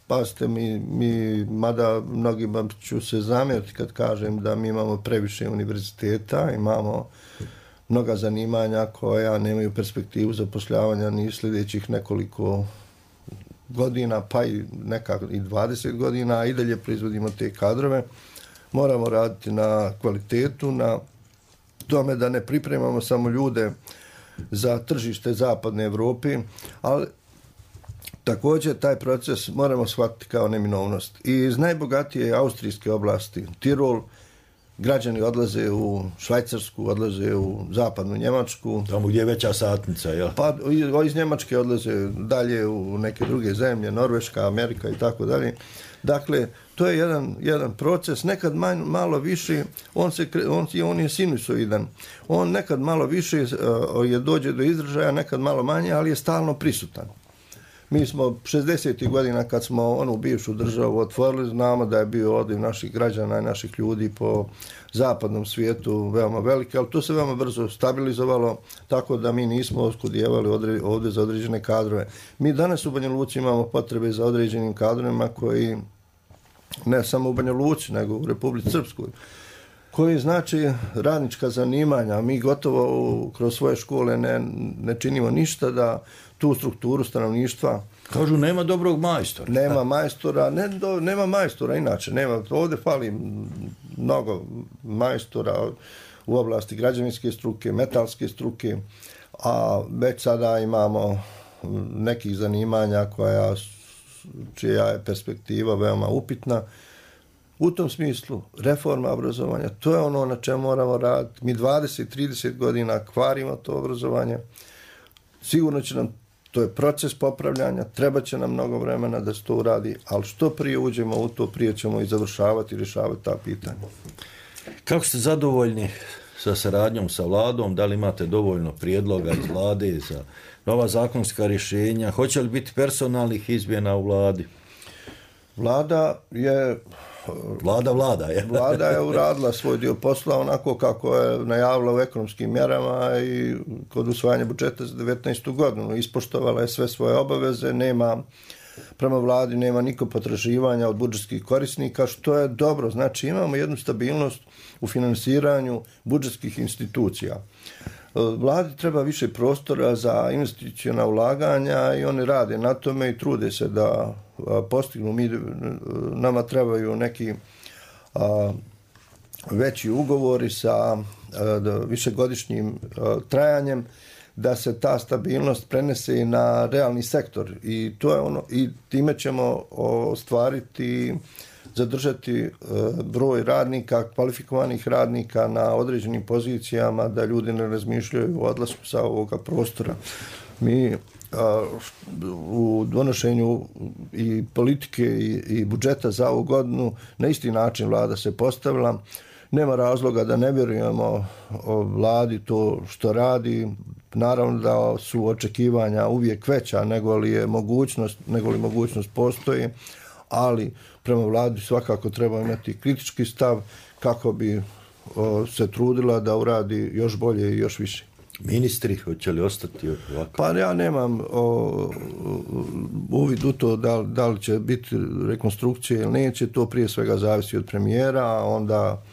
Pazite, mi mada mnogima ću se zamjeriti kad kažem da mi imamo previše univerziteta, imamo mnoga zanimanja koja nemaju perspektivu zapošljavanja ni sljedećih nekoliko godina, pa i nekako i 20 godina, a i dalje proizvodimo te kadrove. Moramo raditi na kvalitetu, na tome da ne pripremamo samo ljude za tržište zapadne Europe, ali također taj proces moramo shvatiti kao neminovnost. I iz najbogatije austrijske oblasti, Tirol, građani odlaze u Švajcarsku, odlaze u zapadnu Njemačku. Tamo gdje je veća satnica, jel? Pa iz Njemačke odlaze dalje u neke druge zemlje, Norveška, Amerika i tako dalje. Dakle, to je jedan proces, nekad malo više, on je sinusoidan. On nekad malo više dođe do izražaja, nekad malo manje, ali je stalno prisutan. Mi smo 60. godina kad smo onu bivšu državu otvorili, znamo da je bio odliv naših građana i naših ljudi po zapadnom svijetu veoma veliki, ali to se veoma brzo stabilizovalo, tako da mi nismo oskudijevali ovdje za određene kadrove. Mi danas u Banja Luci imamo potrebe za određenim kadrovima koji, ne samo u Banja Luci, nego u Republici Srpskoj, koji znači radnička zanimanja. Mi gotovo kroz svoje škole ne činimo ništa da tu strukturu stanovništva. Kažu nema dobrog majstora. Nema majstora inače. Ovdje fali mnogo majstora u oblasti građevinske struke, metalske struke, a već sada imamo nekih zanimanja čija je perspektiva veoma upitna. U tom smislu, reforma obrazovanja, to je ono na čemu moramo raditi. Mi 20-30 godina kvarimo to obrazovanje. Sigurno će nam, to je proces popravljanja, treba će nam mnogo vremena da se to uradi, ali što prije uđemo u to, prije ćemo i završavati i rješavati ta pitanja. Kako ste zadovoljni sa saradnjom sa vladom? Da li imate dovoljno prijedloga iz vlade za nova zakonska rješenja? Hoće li biti personalnih izmjena u vladi? Vlada je uradila svoj dio posla onako kako je najavila u ekonomskim mjerama i kod usvajanja budžeta za 2019. godinu. Ispoštovala je sve svoje obaveze, nema prema vladi nema niko potraživanja od budžetskih korisnika, što je dobro. Znači imamo jednu stabilnost u finansiranju budžetskih institucija. Vladi treba više prostora za investiciona ulaganja i oni rade na tome i trude se da postignu. Nama trebaju neki veći ugovori sa višegodišnjim trajanjem, da se ta stabilnost prenese i na realni sektor i to je ono, i time ćemo ostvariti, zadržati broj radnika, kvalifikovanih radnika na određenim pozicijama, da ljudi ne razmišljaju o odlasku sa ovoga prostora. Mi u donošenju i politike i budžeta za ovu godinu na isti način vlada se postavila. Nema razloga da ne vjerujemo o vladi to što radi. Naravno da su očekivanja uvijek veća nego li mogućnost postoji, ali prema vladi svakako treba imati kritički stav kako bi se trudila da uradi još bolje i još više. Ministri, hoće li ostati ovako? Pa ja nemam uvid u to da li će biti rekonstrukcije ili neće, to prije svega zavisi od premijera, a onda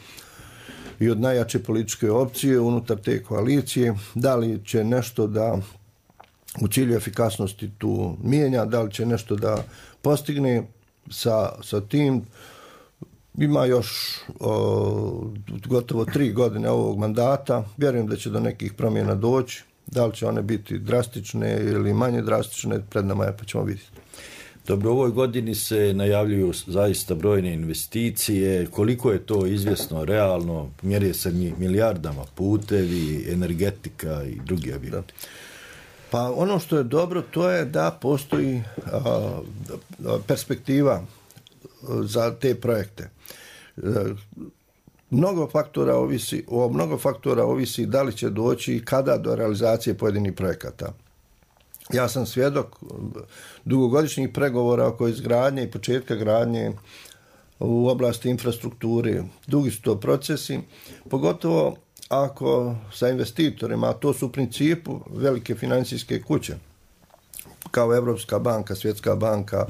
i od najjače političke opcije unutar te koalicije, da li će nešto da u cilju efikasnosti tu mijenja, da li će nešto da postigne sa tim. Ima još gotovo 3 godine ovog mandata, vjerujem da će do nekih promjena doći, da li će one biti drastične ili manje drastične, pred nama je pa ćemo vidjeti. Dobro, u ovoj godini se najavljuju zaista brojne investicije. Koliko je to izvjesno, realno? Mjeri se milijardama, putevi, energetika i drugi objekti. Pa ono što je dobro, to je da postoji perspektiva za te projekte. Mnogo faktora ovisi da li će doći i kada do realizacije pojedinih projekata. Ja sam svjedok dugogodišnjih pregovora oko izgradnje i početka gradnje u oblasti infrastrukture. Dugi su to procesi, pogotovo ako sa investitorima, a to su u principu velike financijske kuće, kao Europska banka, Svjetska banka,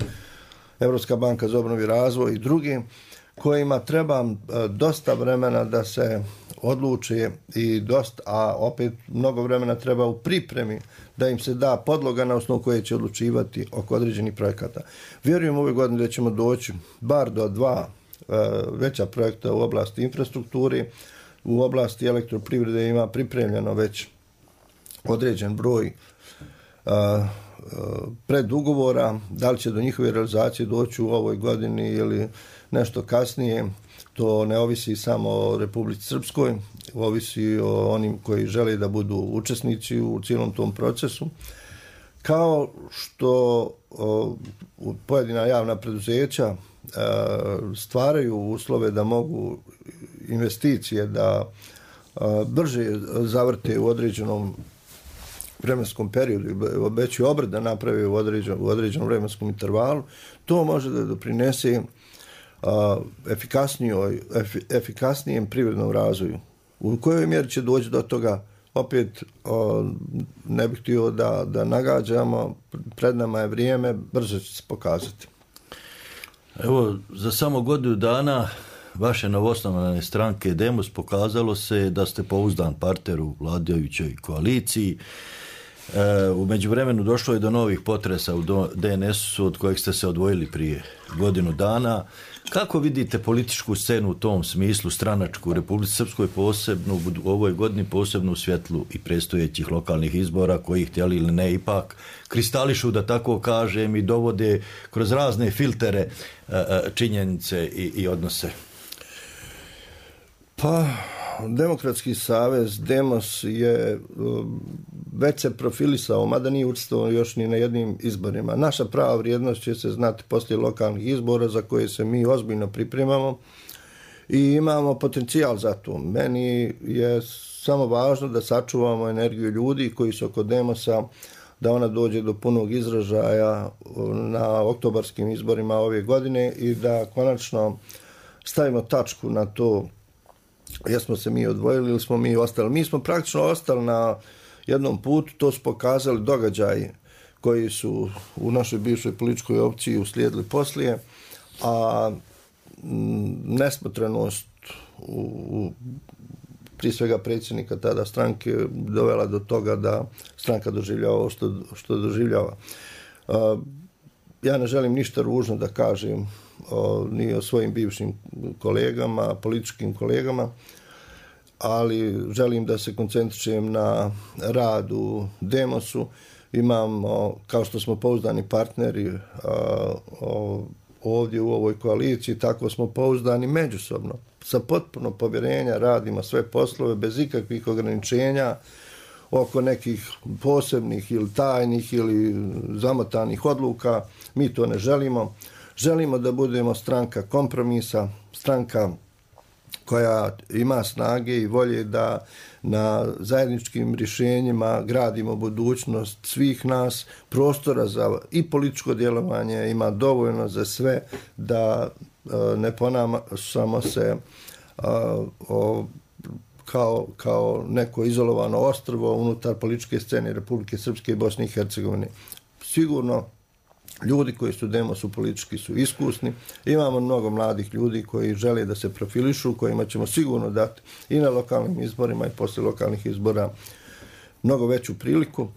Europska banka za obnovu i razvoj i drugi, kojima treba dosta vremena da se odluče a opet mnogo vremena treba u pripremi da im se da podloga na osnovu koje će odlučivati oko određenih projekata. Vjerujem ove godine da ćemo doći bar do 2 veća projekta u oblasti infrastrukture. U oblasti elektroprivrede ima pripremljeno već određen broj predugovora. Da li će do njihove realizacije doći u ovoj godini ili nešto kasnije, to ne ovisi samo o Republici Srpskoj, ovisi o onim koji žele da budu učesnici u cijelom tom procesu. Kao što pojedina javna preduzeća stvaraju uslove da mogu investicije da brže zavrte u određenom vremenskom periodu, veći obrt da naprave u određenom vremenskom intervalu, to može da doprinese efikasnijem privrednom razvoju. U kojoj mjeri će doći do toga, opet ne bih htio da nagađamo, pred nama je vrijeme, brzo će se pokazati. Evo, za samo godinu dana vaše novosnovane stranke Demos pokazalo se da ste pouzdan partner u vladajućoj koaliciji. U međuvremenu došlo je do novih potresa u DNS-u od kojeg ste se odvojili prije godinu dana. Kako vidite političku scenu u tom smislu, stranačku u Republici Srpskoj, posebno u ovoj godini, posebno u svjetlu i predstojećih lokalnih izbora koji, htjeli ili ne, ipak kristališu, da tako kažem, i dovode kroz razne filtere činjenice i odnose? Pa, Demokratski savez, Demos je već se profilisao, mada nije učestvovao još ni na jednim izborima. Naša prava vrijednost će se znati poslije lokalnih izbora za koje se mi ozbiljno pripremamo i imamo potencijal za to. Meni je samo važno da sačuvamo energiju ljudi koji su oko Demosa, da ona dođe do punog izražaja na oktobarskim izborima ove godine i da konačno stavimo tačku na to jesmo se mi odvojili ili smo mi ostali. Mi smo praktično ostali na jednom putu, to su pokazali događaji koji su u našoj bivšoj političkoj opciji uslijedili poslije, a nesmotrenost prije svega predsjednika tada stranke dovela do toga da stranka doživljava ovo što doživljava. Ja ne želim ništa ružno da kažem ni o svojim bivšim kolegama, političkim kolegama, ali želim da se koncentrišem na rad u Demosu. Imamo, kao što smo pouzdani partneri ovdje u ovoj koaliciji, tako smo pouzdani međusobno. Sa potpuno povjerenja radimo sve poslove bez ikakvih ograničenja oko nekih posebnih ili tajnih ili zamotanih odluka. Mi to ne želimo. Želimo da budemo stranka kompromisa, stranka koja ima snage i volje da na zajedničkim rješenjima gradimo budućnost svih nas. Prostora za i političko djelovanje ima dovoljno za sve, da ne ponašamo se kao neko izolovano ostrvo unutar političke scene Republike Srpske i Bosne i Hercegovine. Sigurno ljudi koji su u Demosu politički su iskusni. Imamo mnogo mladih ljudi koji žele da se profilišu, kojima ćemo sigurno dati i na lokalnim izborima i poslije lokalnih izbora mnogo veću priliku.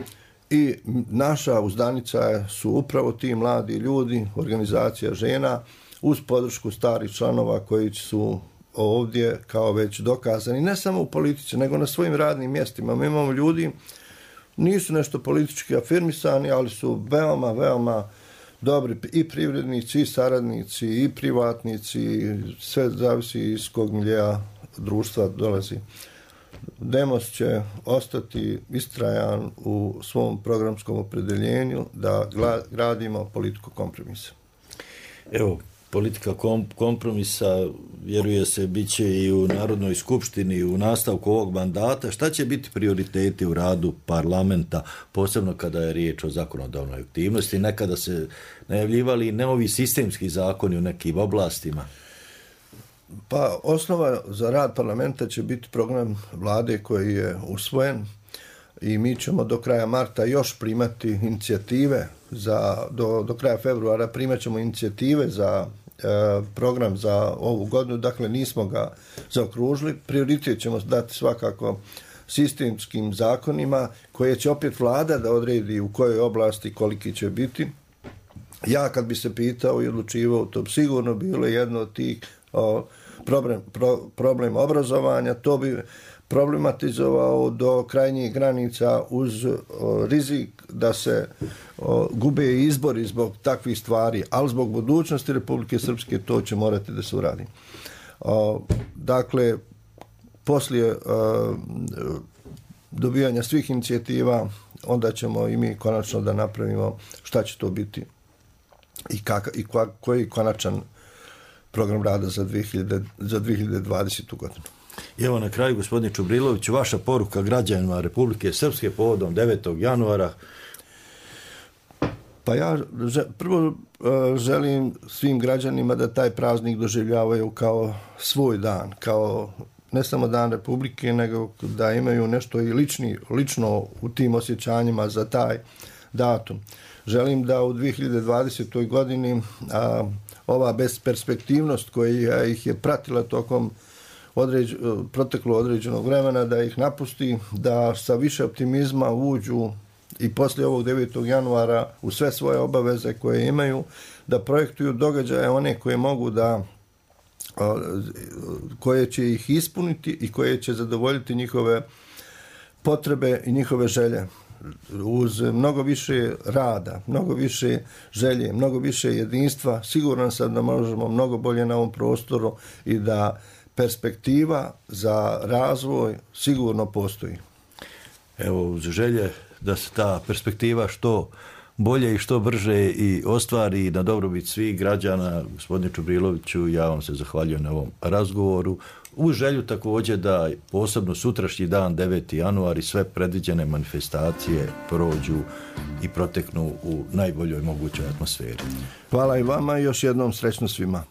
I naša uzdanica su upravo ti mladi ljudi, organizacija žena, uz podršku starih članova koji su ovdje kao već dokazani, ne samo u politici, nego na svojim radnim mjestima. Mi imamo ljudi, nisu nešto politički afirmisani, ali su veoma, veoma dobri i privrednici, i saradnici, i privatnici, sve zavisi iz kog miljeja društva dolazi. Demos će ostati istrajan u svom programskom opredjeljenju da gradimo politiku kompromisa. Evo, politika kompromisa, vjeruje se, bit će i u Narodnoj skupštini u nastavku ovog mandata. Šta će biti prioriteti u radu parlamenta, posebno kada je riječ o zakonodavnoj aktivnosti? Nekada se najavljivali novi sistemski zakoni u nekim oblastima. Pa osnova za rad parlamenta će biti program vlade koji je usvojen i mi ćemo do kraja marta još primati inicijative do kraja februara primat ćemo inicijative za program za ovu godinu, dakle nismo ga zaokružili. Prioritet ćemo dati svakako sistemskim zakonima koje će opet vlada da odredi u kojoj oblasti koliki će biti. Ja kad bi se pitao i odlučivao, to bi sigurno bilo jedno od tih problem obrazovanja, to bi problematizovao do krajnjih granica uz rizik da se gube izbori zbog takvih stvari, ali zbog budućnosti Republike Srpske to će morati da se uradi. Dakle, poslije dobijanja svih inicijativa, onda ćemo i mi konačno da napravimo šta će to biti i koji konačan program rada za 2020. godinu. I evo na kraju, gospodine Čubrilović, vaša poruka građanima Republike Srpske povodom 9. januara. Pa ja prvo želim svim građanima da taj praznik doživljavaju kao svoj dan, kao ne samo dan Republike, nego da imaju nešto i lično u tim osjećanjima za taj datum. Želim da u 2020. godini ova besperspektivnost koja ih je pratila tokom proteklo određenog vremena, da ih napusti, da sa više optimizma uđu i poslije ovog 9. januara u sve svoje obaveze koje imaju, da projektuju događaje one koje mogu da, koje će ih ispuniti i koje će zadovoljiti njihove potrebe i njihove želje. Uz mnogo više rada, mnogo više želje, mnogo više jedinstva, siguran sam da možemo mnogo bolje na ovom prostoru i da perspektiva za razvoj sigurno postoji. Evo, uz želje da se ta perspektiva što bolje i što brže i ostvari na dobrobit svih građana, gospodine Čubriloviću, ja vam se zahvaljujem na ovom razgovoru. Uz želju također da posebno sutrašnji dan, 9. januar, i sve predviđene manifestacije prođu i proteknu u najboljoj mogućoj atmosferi. Hvala i vama i još jednom srećno svima.